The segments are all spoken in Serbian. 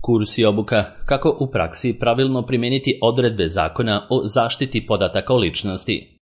Kurs i obuka kako u praksi pravilno primijeniti odredbe Zakona o zaštiti podataka o ličnosti.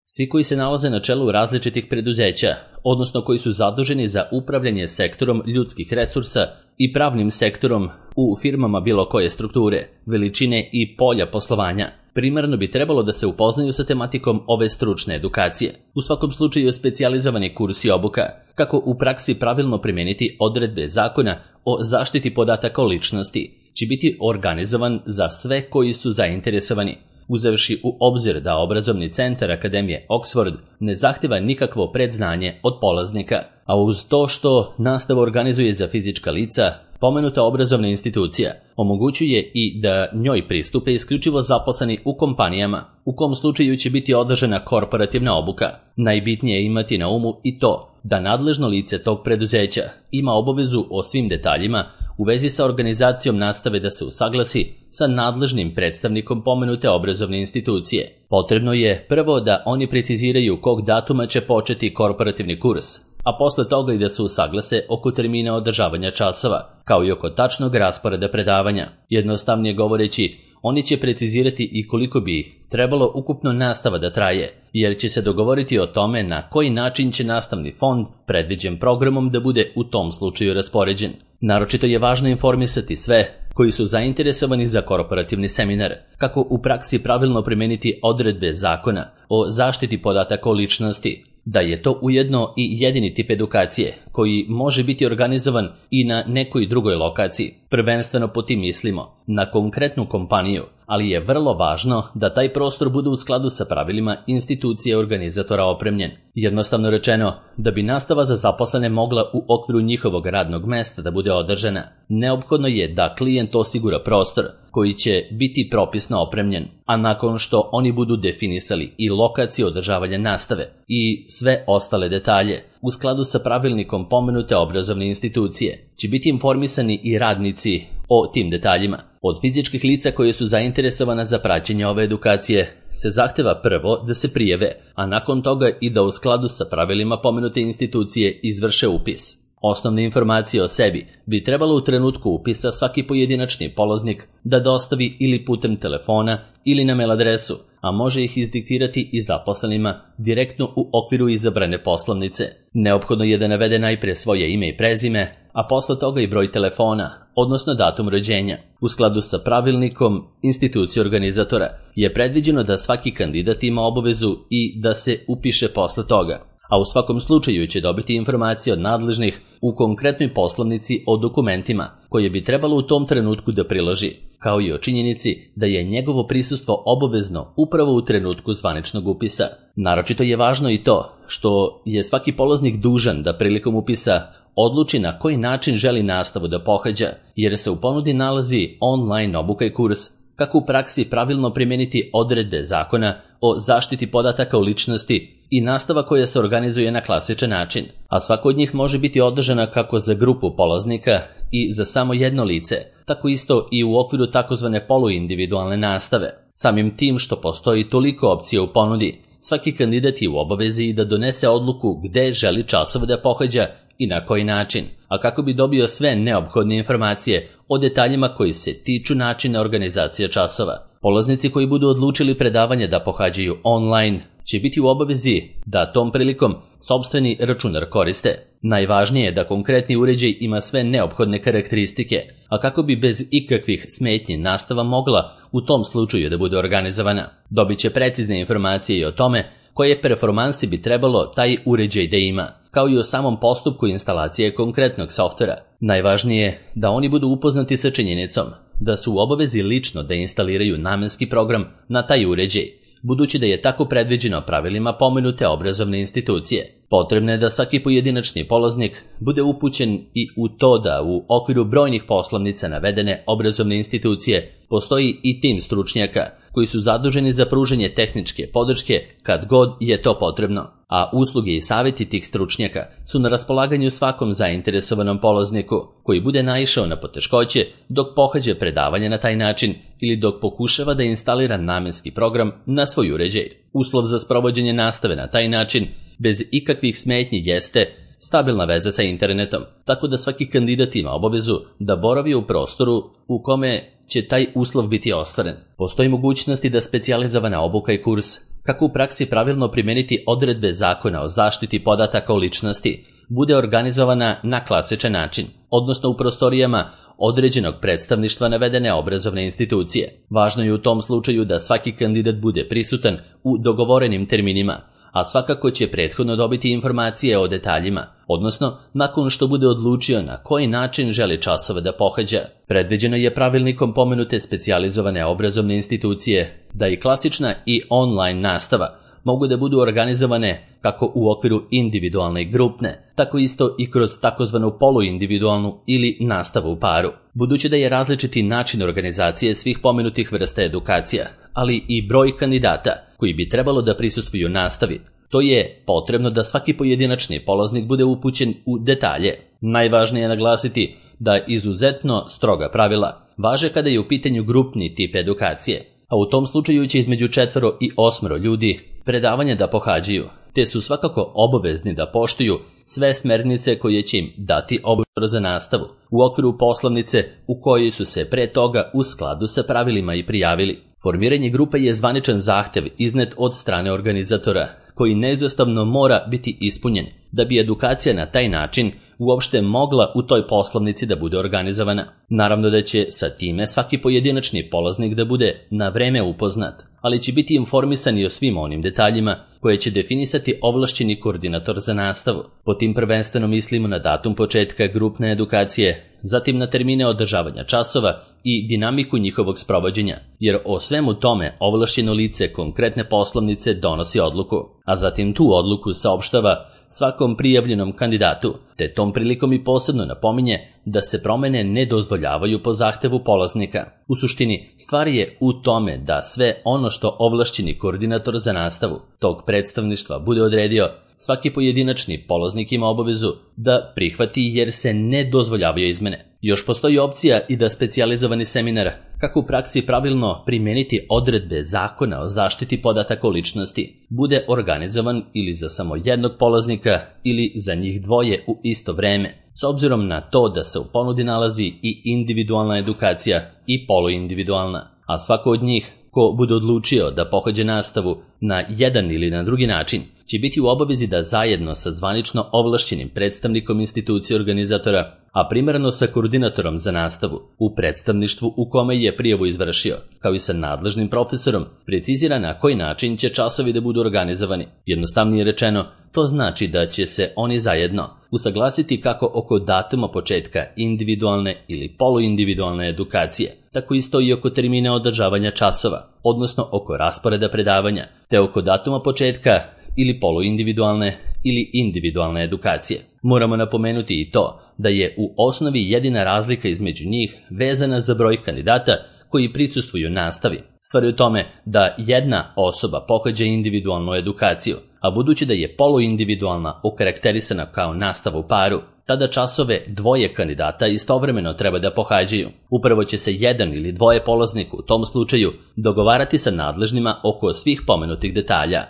Svi koji se nalaze na čelu različitih preduzeća, odnosno koji su zaduženi za upravljanje sektorom ljudskih resursa i pravnim sektorom u firmama bilo koje strukture, veličine i polja poslovanja, primarno bi trebalo da se upoznaju sa tematikom ove stručne edukacije. U svakom slučaju specijalizovani kurs i obuka kako u praksi pravilno primijeniti odredbe Zakona o zaštiti podataka o ličnosti će biti organizovan za sve koji su zainteresovani, uzevši u obzir da obrazovni centar Akademije Oxford ne zahtjeva nikakvo predznanje od polaznika, a uz to što nastavu organizuje za fizička lica, pomenuta obrazovna institucija omogućuje i da njoj pristupe isključivo zaposleni u kompanijama, u kom slučaju će biti održana korporativna obuka. Najbitnije je imati na umu i to da nadležno lice tog preduzeća ima obavezu o svim detaljima u vezi sa organizacijom nastave da se usaglasi sa nadležnim predstavnikom pomenute obrazovne institucije. Potrebno je prvo da oni preciziraju kog datuma će početi korporativni kurs, a posle toga i da se usaglase oko termina održavanja časova, kao i oko tačnog rasporeda predavanja. Jednostavnije govoreći, oni će precizirati i koliko bi trebalo ukupno nastava da traje, jer će se dogovoriti o tome na koji način će nastavni fond predviđen programom da bude u tom slučaju raspoređen. Naročito je važno informisati sve koji su zainteresovani za korporativni seminar, kako u praksi pravilno primeniti odredbe Zakona o zaštiti podataka o ličnosti, da je to ujedno i jedini tip edukacije koji može biti organizovan i na nekoj drugoj lokaciji. Prvenstveno po tim mislimo na konkretnu kompaniju, ali je vrlo važno da taj prostor bude u skladu sa pravilima institucije organizatora opremljen. Jednostavno rečeno, da bi nastava za zaposlene mogla u okviru njihovog radnog mesta da bude održana, neophodno je da klijent osigura prostor koji će biti propisno opremljen, a nakon što oni budu definisali i lokaciju održavanja nastave i sve ostale detalje, u skladu sa pravilnikom pomenute obrazovne institucije, će biti informisani i radnici o tim detaljima. Od fizičkih lica koje su zainteresovana za praćenje ove edukacije se zahteva prvo da se prijave, a nakon toga i da u skladu sa pravilima pomenute institucije izvrše upis. Osnovne informacije o sebi bi trebalo u trenutku upisa svaki pojedinačni polaznik da dostavi ili putem telefona ili na mail adresu, a može ih izdiktirati i zaposlenima direktno u okviru izabrane poslovnice. Neophodno je da navede najprije svoje ime i prezime, a posle toga i broj telefona, odnosno datum rođenja. U skladu sa pravilnikom institucije organizatora je predviđeno da svaki kandidat ima obavezu i da se upiše posle toga, a u svakom slučaju će dobiti informacije od nadležnih u konkretnoj poslovnici o dokumentima koje bi trebalo u tom trenutku da priloži, kao i o činjenici da je njegovo prisustvo obavezno upravo u trenutku zvaničnog upisa. Naročito je važno i to što je svaki polaznik dužan da prilikom upisa odluči na koji način želi nastavu da pohađa, jer se u ponudi nalazi online obuka i kurs kako u praksi pravilno primijeniti odredbe Zakona o zaštiti podataka o ličnosti i nastava koja se organizuje na klasičan način, a svako od njih može biti održana kako za grupu polaznika i za samo jedno lice, tako isto i u okviru takozvane poluindividualne nastave. Samim tim što postoji toliko opcija u ponudi, svaki kandidat je u obavezi da donese odluku gde želi časove da pohađa i na koji način, a kako bi dobio sve neophodne informacije o detaljima koji se tiču načina organizacije časova. Polaznici koji budu odlučili predavanje da pohađaju online će biti u obavezi da tom prilikom sopstveni računar koriste. Najvažnije je da konkretni uređaj ima sve neophodne karakteristike, a kako bi bez ikakvih smetnji nastava mogla u tom slučaju da bude organizovana. Dobit će precizne informacije i o tome koje performansi bi trebalo taj uređaj da ima, kao i o samom postupku instalacije konkretnog softvera. Najvažnije je da oni budu upoznati sa činjenicom da su u obavezi lično da instaliraju namenski program na taj uređaj, budući da je tako predviđeno pravilima pomenute obrazovne institucije. Potrebno je da svaki pojedinačni polaznik bude upućen i u to da u okviru brojnih poslovnica navedene obrazovne institucije postoji i tim stručnjaka koji su zaduženi za pružanje tehničke podrške kad god je to potrebno, a usluge i savjeti tih stručnjaka su na raspolaganju svakom zainteresovanom polazniku koji bude naišao na poteškoće dok pohađa predavanje na taj način ili dok pokušava da instalira namenski program na svoj uređaj. Uslov za sprovođenje nastave na taj način bez ikakvih smetnji jeste stabilna veza sa internetom, tako da svaki kandidat ima obavezu da boravi u prostoru u kome će taj uslov biti ostvaren. Postoji mogućnosti da specijalizovana obuka i kurs kako u praksi pravilno primeniti odredbe Zakona o zaštiti podataka o ličnosti bude organizovana na klasičan način, odnosno u prostorijama određenog predstavništva navedene obrazovne institucije. Važno je u tom slučaju da svaki kandidat bude prisutan u dogovorenim terminima, a svakako će prethodno dobiti informacije o detaljima, odnosno nakon što bude odlučio na koji način želi časove da pohađa. Predviđeno je pravilnikom pomenute specijalizovane obrazovne institucije da i klasična i online nastava mogu da budu organizovane kako u okviru individualne i grupne, tako isto i kroz takozvanu poluindividualnu ili nastavu u paru. Budući da je različiti način organizacije svih pomenutih vrsta edukacija, ali i broj kandidata koji bi trebalo da prisustvuju nastavi, to je potrebno da svaki pojedinačni polaznik bude upućen u detalje. Najvažnije je naglasiti da izuzetno stroga pravila važe kada je u pitanju grupni tip edukacije, a u tom slučaju će između 4 i 8 ljudi predavanje da pohađaju, te su svakako obavezni da poštuju sve smernice koje će im dati odbor za nastavu u okviru poslovnice u kojoj su se pre toga u skladu sa pravilima i prijavili. Formiranje grupe je zvaničan zahtev iznet od strane organizatora, koji neizostavno mora biti ispunjen da bi edukacija na taj način uopšte mogla u toj poslovnici da bude organizovana. Naravno da će sa time svaki pojedinačni polaznik da bude na vreme upoznat, ali će biti informisan i o svim onim detaljima koje će definisati ovlašćeni koordinator za nastavu. Po tim prvenstveno mislimo na datum početka grupne edukacije, zatim na termine održavanja časova i dinamiku njihovog sprovođenja, jer o svemu tome ovlašćeno lice konkretne poslovnice donosi odluku, a zatim tu odluku saopštava svakom prijavljenom kandidatu, te tom prilikom i posebno napominje da se promene ne dozvoljavaju po zahtevu polaznika. U suštini, stvar je u tome da sve ono što ovlašćeni koordinator za nastavu tog predstavništva bude odredio, svaki pojedinačni polaznik ima obavezu da prihvati jer se ne dozvoljavaju izmene. Još postoji opcija i da specijalizovani seminar kako u praksi pravilno primeniti odredbe Zakona o zaštiti podataka o ličnosti bude organizovan ili za samo jednog polaznika ili za njih dvoje u isto vreme, s obzirom na to da se u ponudi nalazi i individualna edukacija i poluindividualna, a svako od njih ko bude odlučio da pohađa nastavu na jedan ili na drugi način će biti u obavezi da zajedno sa zvanično ovlašćenim predstavnikom institucije organizatora, a primarno sa koordinatorom za nastavu u predstavništvu u kome je prijavu izvršio, kao i sa nadležnim profesorom, precizira na koji način će časovi da budu organizovani. Jednostavnije rečeno, to znači da će se oni zajedno usaglasiti kako oko datuma početka individualne ili poluindividualne edukacije, tako isto i oko termina održavanja časova, odnosno oko rasporeda predavanja, te oko datuma početka ili poluindividualne ili individualne edukacije. Moramo napomenuti i to da je u osnovi jedina razlika između njih vezana za broj kandidata koji prisustvuju nastavi. Stvar je u tome da jedna osoba pohađa individualnu edukaciju, a budući da je poluindividualna okarakterisana kao nastava u paru, tada časove dvoje kandidata istovremeno treba da pohađaju. Upravo će se jedan ili dvoje polaznika u tom slučaju dogovarati sa nadležnima oko svih pomenutih detalja.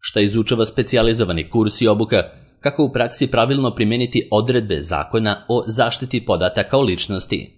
Šta izučava specijalizovani kurs i obuka, kako u praksi pravilno primeniti odredbe Zakona o zaštiti podataka o ličnosti.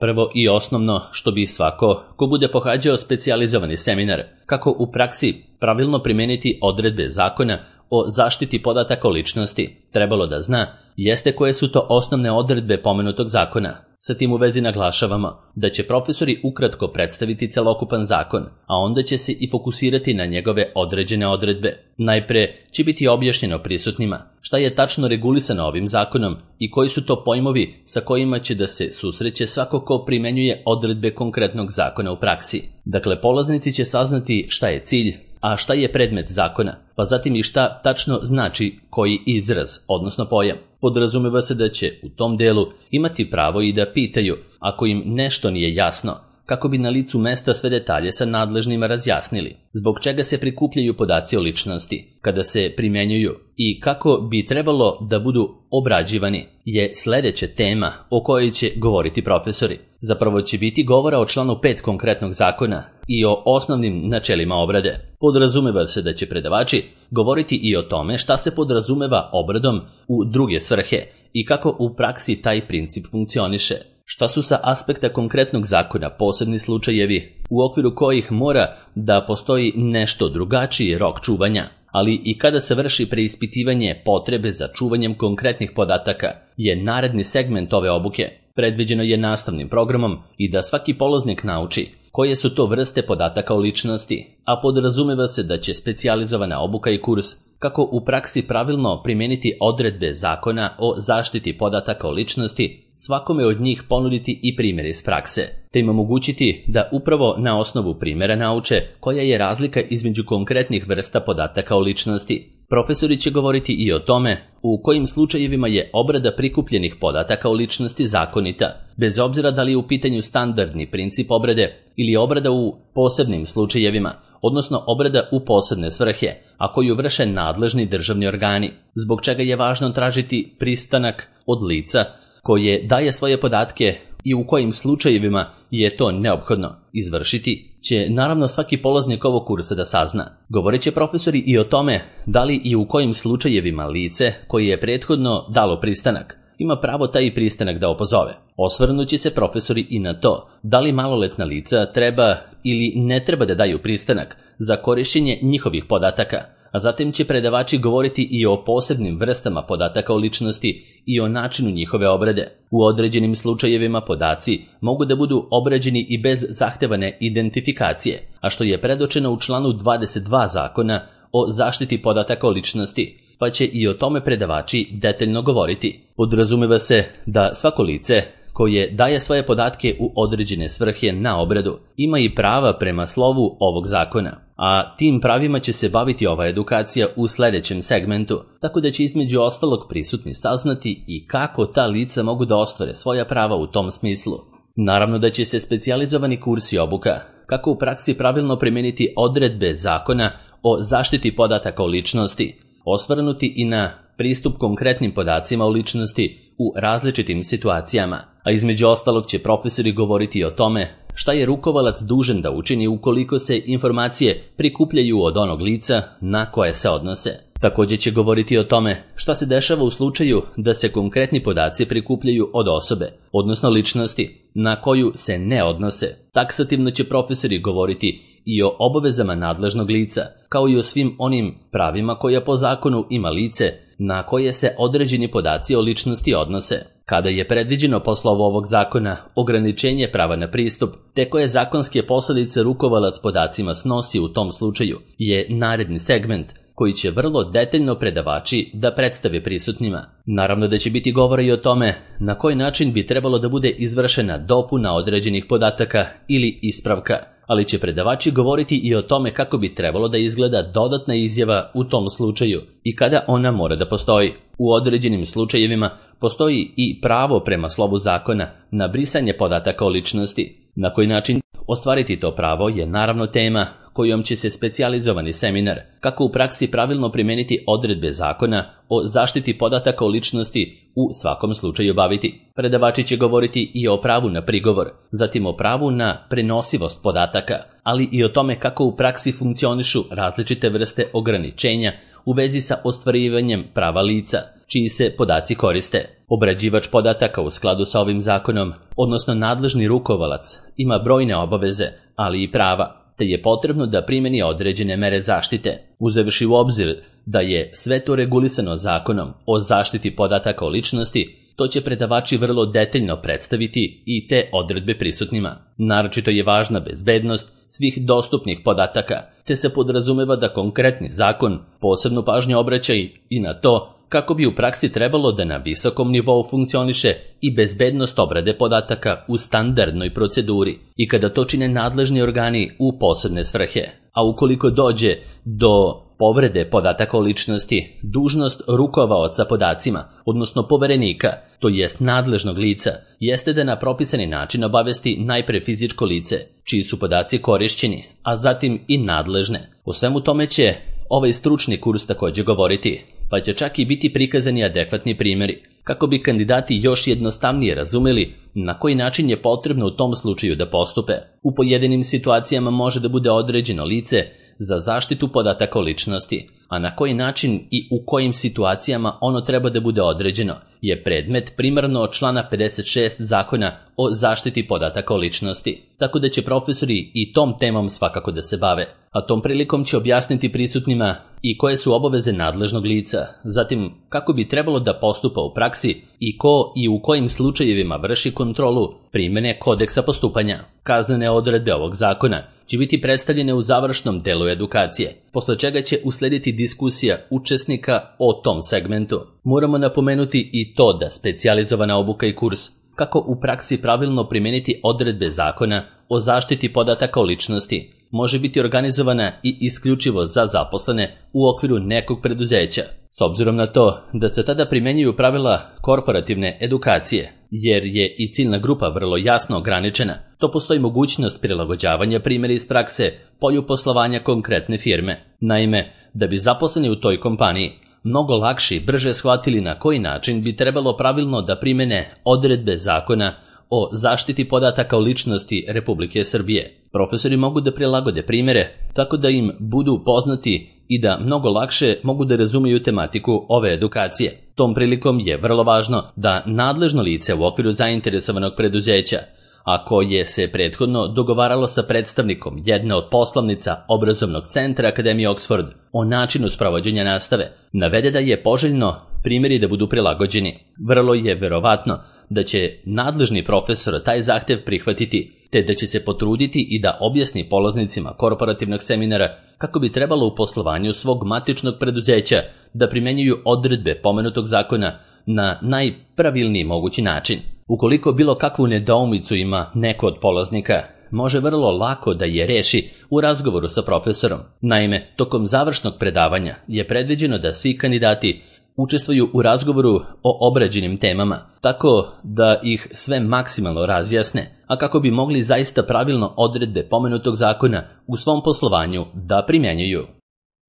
Prvo i osnovno što bi svako ko bude pohađao specijalizovani seminar, kako u praksi pravilno primeniti odredbe Zakona o zaštiti podataka o ličnosti, trebalo da zna, jeste koje su to osnovne odredbe pomenutog zakona. Sa tim u vezi naglašavamo da će profesori ukratko predstaviti celokupan zakon, a onda će se i fokusirati na njegove određene odredbe. Najpre će biti objašnjeno prisutnima šta je tačno regulisano ovim zakonom i koji su to pojmovi sa kojima će da se susreće svako ko primenjuje odredbe konkretnog zakona u praksi. Dakle, polaznici će saznati šta je cilj, a šta je predmet zakona, pa zatim i šta tačno znači koji izraz, odnosno pojam. Podrazumeva se da će u tom delu imati pravo i da pitaju ako im nešto nije jasno, kako bi na licu mesta sve detalje sa nadležnima razjasnili, zbog čega se prikupljaju podaci o ličnosti, kada se primjenjuju i kako bi trebalo da budu obrađivani je sledeća tema o kojoj će govoriti profesori. Zapravo će biti govora o članu 5 konkretnog zakona i o osnovnim načelima obrade. Podrazumeva se da će predavači govoriti i o tome šta se podrazumeva obradom u druge svrhe i kako u praksi taj princip funkcioniše. Šta su sa aspekta konkretnog zakona posebni slučajevi u okviru kojih mora da postoji nešto drugačiji rok čuvanja, ali i kada se vrši preispitivanje potrebe za čuvanjem konkretnih podataka je naredni segment ove obuke. Predviđeno je nastavnim programom i da svaki polaznik nauči koje su to vrste podataka o ličnosti, a podrazumeva se da će specijalizovana obuka i kurs kako u praksi pravilno primijeniti odredbe zakona o zaštiti podataka o ličnosti svakome od njih ponuditi i primjer iz prakse, te im omogućiti da upravo na osnovu primjera nauče koja je razlika između konkretnih vrsta podataka o ličnosti. Profesori će govoriti i o tome u kojim slučajevima je obrada prikupljenih podataka o ličnosti zakonita, bez obzira da li je u pitanju standardni princip obrade ili obrada u posebnim slučajevima, odnosno obrada u posebne svrhe, a koju vrše nadležni državni organi, zbog čega je važno tražiti pristanak od lica koje daje svoje podatke i u kojim slučajevima je to neophodno izvršiti, će naravno svaki polaznik ovog kursa da sazna. Govorit će profesori i o tome da li i u kojim slučajevima lice koje je prethodno dalo pristanak ima pravo taj pristanak da opozove. Osvrnući se profesori i na to da li maloletna lica treba ili ne treba da daju pristanak za korišćenje njihovih podataka, a zatim će predavači govoriti i o posebnim vrstama podataka o ličnosti i o načinu njihove obrade. U određenim slučajevima podaci mogu da budu obrađeni i bez zahtevane identifikacije, a što je predočeno u članu 22 zakona o zaštiti podataka o ličnosti, pa će i o tome predavači detaljno govoriti. Podrazumeva se da svako lice koje daje svoje podatke u određene svrhe na obradu ima i prava prema slovu ovog zakona, a tim pravima će se baviti ova edukacija u sledećem segmentu, tako da će između ostalog prisutni saznati i kako ta lica mogu da ostvare svoja prava u tom smislu. Naravno da će se specijalizovani kurs i obuka kako u praksi pravilno primijeniti odredbe zakona o zaštiti podataka o ličnosti, osvrnuti i na pristup konkretnim podacima o ličnosti u različitim situacijama, a između ostalog će profesori govoriti o tome šta je rukovalac dužan da učini ukoliko se informacije prikupljaju od onog lica na koje se odnose. Također će govoriti o tome šta se dešava u slučaju da se konkretni podaci prikupljaju od osobe, odnosno ličnosti, na koju se ne odnose. Taksativno će profesori govoriti i o obavezama nadležnog lica, kao i o svim onim pravima koja po zakonu ima lice na koje se određeni podaci o ličnosti odnose. Kada je predviđeno po slovu ovog zakona ograničenje prava na pristup, te koje zakonske posljedice rukovalac podacima snosi u tom slučaju, je naredni segment koji će vrlo detaljno predavači da predstave prisutnima. Naravno da će biti govora i o tome na koji način bi trebalo da bude izvršena dopuna određenih podataka ili ispravka, ali će predavači govoriti i o tome kako bi trebalo da izgleda dodatna izjava u tom slučaju i kada ona mora da postoji. U određenim slučajevima postoji i pravo prema slovu zakona na brisanje podataka o ličnosti. Na koji način ostvariti to pravo je naravno tema kojom će se specijalizovani seminar kako u praksi pravilno primijeniti odredbe zakona o zaštiti podataka o ličnosti u svakom slučaju baviti. Predavači će govoriti i o pravu na prigovor, zatim o pravu na prenosivost podataka, ali i o tome kako u praksi funkcionišu različite vrste ograničenja u vezi sa ostvarivanjem prava lica, čiji se podaci koriste. Obrađivač podataka u skladu sa ovim zakonom, odnosno nadležni rukovalac, ima brojne obaveze, ali i prava, te je potrebno da primjeni određene mere zaštite, uzevši u obzir da je sve to regulisano zakonom o zaštiti podataka o ličnosti. To će predavači vrlo detaljno predstaviti i te odredbe prisutnima. Naročito je važna bezbednost svih dostupnih podataka, te se podrazumeva da konkretni zakon posebnu pažnju obraća i na to kako bi u praksi trebalo da na visokom nivou funkcioniše i bezbednost obrade podataka u standardnoj proceduri i kada to čine nadležni organi u posebne svrhe. A ukoliko dođe do Povrede podataka o ličnosti, dužnost rukovaoca podacima, odnosno poverenika, to jest nadležnog lica, jeste da na propisani način obavesti najpre fizičko lice, čiji su podaci korišćeni, a zatim i nadležne. O svemu tome će ovaj stručni kurs također govoriti, pa će čak i biti prikazani adekvatni primjeri, kako bi kandidati još jednostavnije razumeli na koji način je potrebno u tom slučaju da postupe. U pojedinim situacijama može da bude određeno lice za zaštitu podataka o ličnosti, a na koji način i u kojim situacijama ono treba da bude određeno je predmet primarno od člana 56 Zakona o zaštiti podataka o ličnosti, tako da će profesori i tom temom svakako da se bave, a tom prilikom će objasniti prisutnima i koje su obaveze nadležnog lica, zatim kako bi trebalo da postupa u praksi i ko i u kojim slučajevima vrši kontrolu primene kodeksa postupanja. Kaznene odredbe ovog zakona će biti predstavljene u završnom delu edukacije, posle čega će uslediti diskusija učesnika o tom segmentu. Moramo napomenuti i to da specijalizovana obuka i kurs kako u praksi pravilno primeniti odredbe zakona o zaštiti podataka o ličnosti može biti organizovana i isključivo za zaposlene u okviru nekog preduzeća, s obzirom na to da se tada primenjuju pravila korporativne edukacije, jer je i ciljna grupa vrlo jasno ograničena. To postoji mogućnost prilagođavanja primjera iz prakse polju poslovanja konkretne firme. Naime, da bi zaposleni u toj kompaniji mnogo lakše i brže shvatili na koji način bi trebalo pravilno da primene odredbe zakona o zaštiti podataka o ličnosti Republike Srbije. Profesori mogu da prilagode primjere tako da im budu poznati i da mnogo lakše mogu da razumiju tematiku ove edukacije. Tom prilikom je vrlo važno da nadležno lice u okviru zainteresovanog preduzeća, a koje se prethodno dogovaralo sa predstavnikom jedne od poslovnica obrazovnog centra Akademije Oxford o načinu sprovođenja nastave, navede da je poželjno primjeri da budu prilagođeni. Vrlo je verovatno da će nadležni profesor taj zahtev prihvatiti, te da će se potruditi i da objasni polaznicima korporativnog seminara kako bi trebalo u poslovanju svog matičnog preduzeća da primenjuju odredbe pomenutog zakona na najpravilniji mogući način. Ukoliko bilo kakvu nedoumicu ima neko od polaznika, može vrlo lako da je reši u razgovoru sa profesorom. Naime, tokom završnog predavanja je predviđeno da svi kandidati učestvuju u razgovoru o obrađenim temama, tako da ih sve maksimalno razjasne, a kako bi mogli zaista pravilno odredbe pomenutog zakona u svom poslovanju da primjenjuju.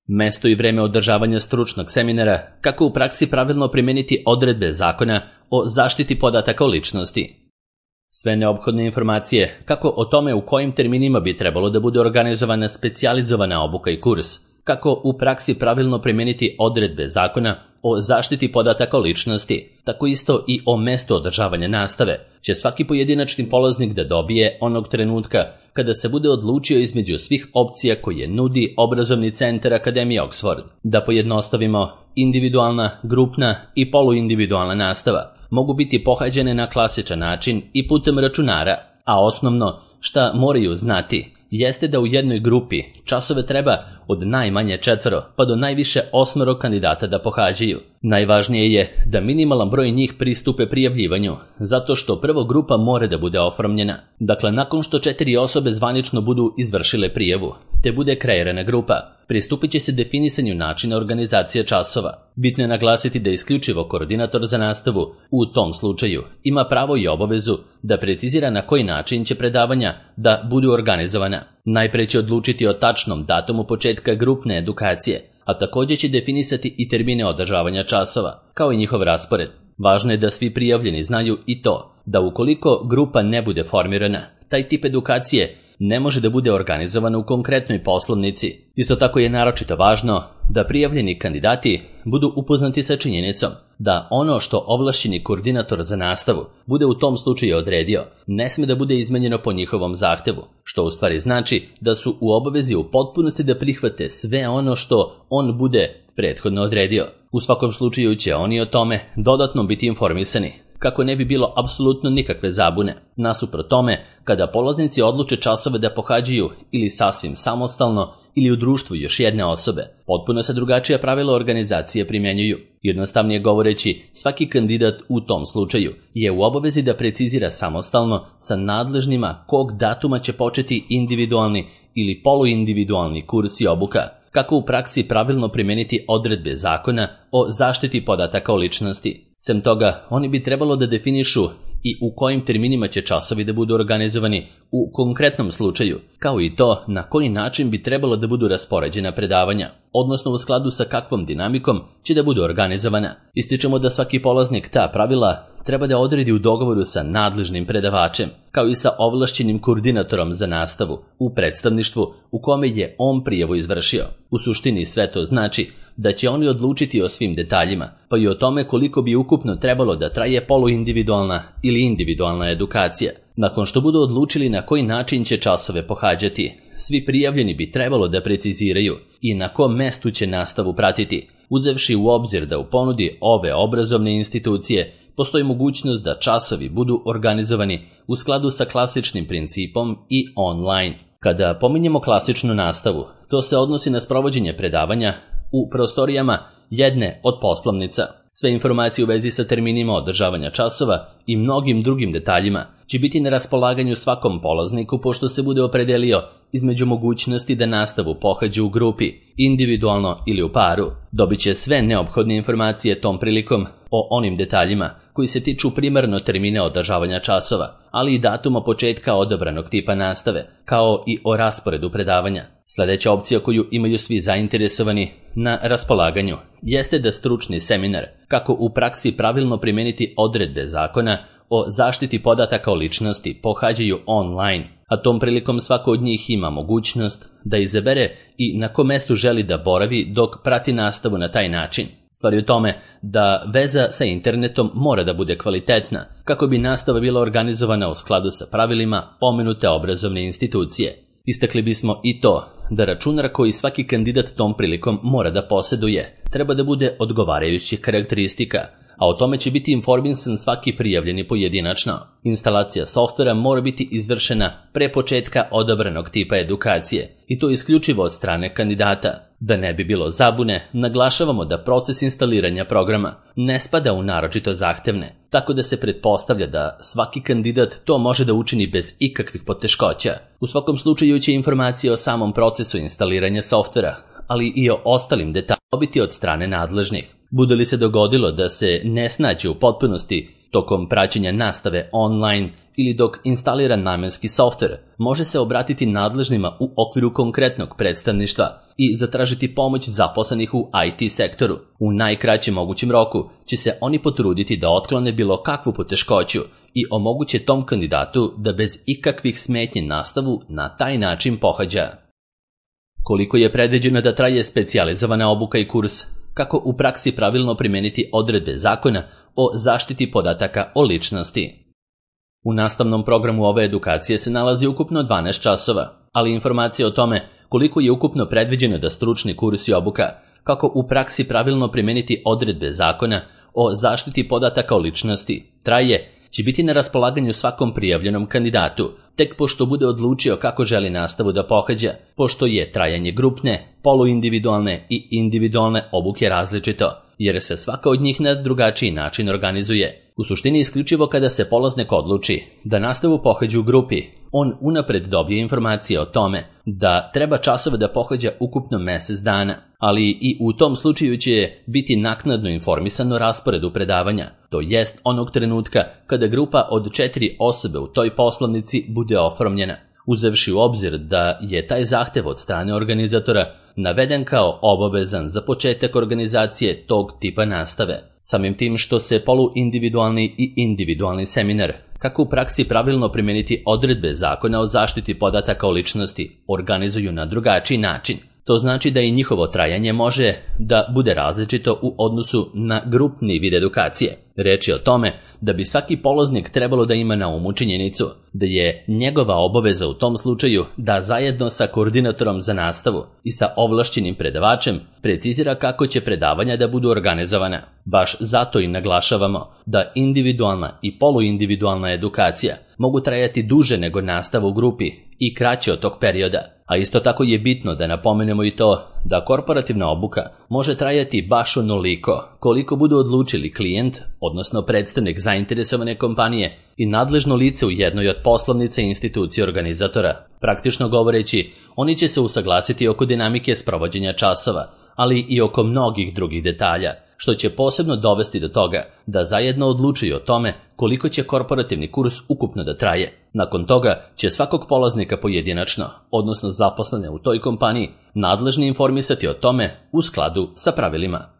Mesto i vreme održavanja stručnog seminara, kako u praksi pravilno primeniti odredbe zakona o zaštiti podataka o ličnosti. Sve neophodne informacije, kako o tome u kojim terminima bi trebalo da bude organizovana specijalizovana obuka i kurs, kako u praksi pravilno primeniti odredbe zakona o zaštiti podataka o ličnosti, tako isto i o mestu održavanja nastave, će svaki pojedinačni polaznik da dobije onog trenutka kada se bude odlučio između svih opcija koje nudi obrazovni centar Akademije Oxford. Da pojednostavimo, individualna, grupna i poluindividualna nastava mogu biti pohađane na klasičan način i putem računara, a osnovno šta moraju znati jeste da u jednoj grupi časove treba od najmanje 4 pa do najviše 8 kandidata da pohađaju. Najvažnije je da minimalan broj njih pristupe prijavljivanju, zato što prvo grupa mora da bude oformljena. Dakle, nakon što 4 osobe zvanično budu izvršile prijavu, te bude kreirana grupa, pristupit će se definisanju načina organizacije časova. Bitno je naglasiti da isključivo koordinator za nastavu u tom slučaju ima pravo i obavezu da precizira na koji način će predavanja da budu organizovana. Najpre će odlučiti o tačnom datumu početka grupne edukacije, a također će definisati i termine održavanja časova, kao i njihov raspored. Važno je da svi prijavljeni znaju i to, da ukoliko grupa ne bude formirana, taj tip edukacije ne može da bude organizovan u konkretnoj poslovnici. Isto tako je naročito važno da prijavljeni kandidati budu upoznati sa činjenicom da ono što ovlašćeni koordinator za nastavu bude u tom slučaju odredio ne sme da bude izmenjeno po njihovom zahtevu, što u stvari znači da su u obavezi u potpunosti da prihvate sve ono što on bude prethodno odredio. U svakom slučaju će oni o tome dodatno biti informisani, kako ne bi bilo apsolutno nikakve zabune. Nasuprot tome, kada polaznici odluče časove da pohađaju ili sasvim samostalno ili u društvu još jedne osobe, potpuno se drugačija pravila organizacije primjenjuju. Jednostavnije govoreći, svaki kandidat u tom slučaju je u obavezi da precizira samostalno sa nadležnima kog datuma će početi individualni ili poluindividualni kurs i obuka, kako u praksi pravilno primijeniti odredbe zakona o zaštiti podataka o ličnosti. Sem toga, oni bi trebalo da definišu i u kojim terminima će časovi da budu organizovani u konkretnom slučaju, kao i to na koji način bi trebalo da budu raspoređena predavanja, odnosno u skladu sa kakvom dinamikom će da budu organizovana. Ističemo da svaki polaznik ta pravila treba da odredi u dogovoru sa nadležnim predavačem, kao i sa ovlašćenim koordinatorom za nastavu u predstavništvu u kome je on prijavu izvršio. U suštini sve to znači da će oni odlučiti o svim detaljima, pa i o tome koliko bi ukupno trebalo da traje poluindividualna ili individualna edukacija. Nakon što budu odlučili na koji način će časove pohađati, svi prijavljeni bi trebalo da preciziraju i na kom mestu će nastavu pratiti, uzevši u obzir da u ponudi ove obrazovne institucije postoji mogućnost da časovi budu organizovani u skladu sa klasičnim principom i online. Kada pominjemo klasičnu nastavu, to se odnosi na sprovođenje predavanja u prostorijama jedne od poslovnica. Sve informacije u vezi sa terminima održavanja časova i mnogim drugim detaljima će biti na raspolaganju svakom polazniku pošto se bude opredelio između mogućnosti da nastavu pohađa u grupi, individualno ili u paru. Dobit će sve neophodne informacije tom prilikom o onim detaljima koji se tiču primarno termina održavanja časova, ali i datuma početka odabranog tipa nastave, kao i o rasporedu predavanja. Sljedeća opcija koju imaju svi zainteresovani na raspolaganju jeste da stručni seminar kako u praksi pravilno primijeniti odredbe zakona o zaštiti podataka o ličnosti pohađaju online, a tom prilikom svako od njih ima mogućnost da izabere i na kom mestu želi da boravi dok prati nastavu na taj način. Stvar je u tome da veza sa internetom mora da bude kvalitetna kako bi nastava bila organizovana u skladu sa pravilima pomenute obrazovne institucije. Istakli bismo i to da računar koji svaki kandidat tom prilikom mora da posjeduje treba da bude odgovarajućih karakteristika, a o tome će biti informisan svaki prijavljeni pojedinačno. Instalacija softvera mora biti izvršena pre početka odabranog tipa edukacije i to isključivo od strane kandidata. Da ne bi bilo zabune, naglašavamo da proces instaliranja programa ne spada u naročito zahtevne, tako da se pretpostavlja da svaki kandidat to može da učini bez ikakvih poteškoća. U svakom slučaju će informacije o samom procesu instaliranja softvera, ali i o ostalim detaljima dobiti od strane nadležnih. Bude li se dogodilo da se ne snađe u potpunosti tokom praćenja nastave online ili dok instalira namenski softver, može se obratiti nadležnima u okviru konkretnog predstavništva i zatražiti pomoć zaposlenih u IT sektoru. U najkraćem mogućem roku će se oni potruditi da otklone bilo kakvu poteškoću i omoguće tom kandidatu da bez ikakvih smetnji nastavu na taj način pohađa. Koliko je predviđeno da traje specijalizovana obuka i kurs? Kako u praksi pravilno primijeniti odredbe zakona o zaštiti podataka o ličnosti? U nastavnom programu ove edukacije se nalazi ukupno 12 časova, ali informacije o tome koliko je ukupno predviđeno da stručni kurs i obuka, kako u praksi pravilno primijeniti odredbe zakona o zaštiti podataka o ličnosti, traje, će biti na raspolaganju svakom prijavljenom kandidatu, tek pošto bude odlučio kako želi nastavu da pohađa, pošto je trajanje grupne, poluindividualne i individualne obuke različito, jer se svaka od njih na drugačiji način organizuje. U suštini isključivo kada se polaznik odluči da nastavu pohađa u grupi, on unapred dobije informacije o tome da treba časove da pohađa ukupno mjesec dana, ali i u tom slučaju će biti naknadno informisan o rasporedu predavanja, to jest onog trenutka kada grupa od 4 osobe u toj poslovnici bude oformljena, uzevši u obzir da je taj zahtev od strane organizatora naveden kao obavezan za početak organizacije tog tipa nastave. Samim tim što se poluindividualni i individualni seminar, kako u praksi pravilno primijeniti odredbe zakona o zaštiti podataka o ličnosti, organizuju na drugačiji način. To znači da i njihovo trajanje može da bude različito u odnosu na grupni vid edukacije. Reč je o tome da bi svaki polaznik trebalo da ima na umu činjenicu da je njegova obaveza u tom slučaju da zajedno sa koordinatorom za nastavu i sa ovlašćenim predavačem precizira kako će predavanja da budu organizovana. Baš zato i naglašavamo da individualna i poluindividualna edukacija mogu trajati duže nego nastava u grupi i kraće od tog perioda. A isto tako je bitno da napomenemo i to da korporativna obuka može trajati baš onoliko koliko budu odlučili klijent, odnosno predstavnik zainteresovane kompanije i nadležno lice u jednoj od poslovnica i institucije organizatora. Praktično govoreći, oni će se usaglasiti oko dinamike sprovođenja časova, ali i oko mnogih drugih detalja, što će posebno dovesti do toga da zajedno odlučuju o tome koliko će korporativni kurs ukupno da traje. Nakon toga će svakog polaznika pojedinačno, odnosno zaposlene u toj kompaniji, nadležni informisati o tome u skladu sa pravilima.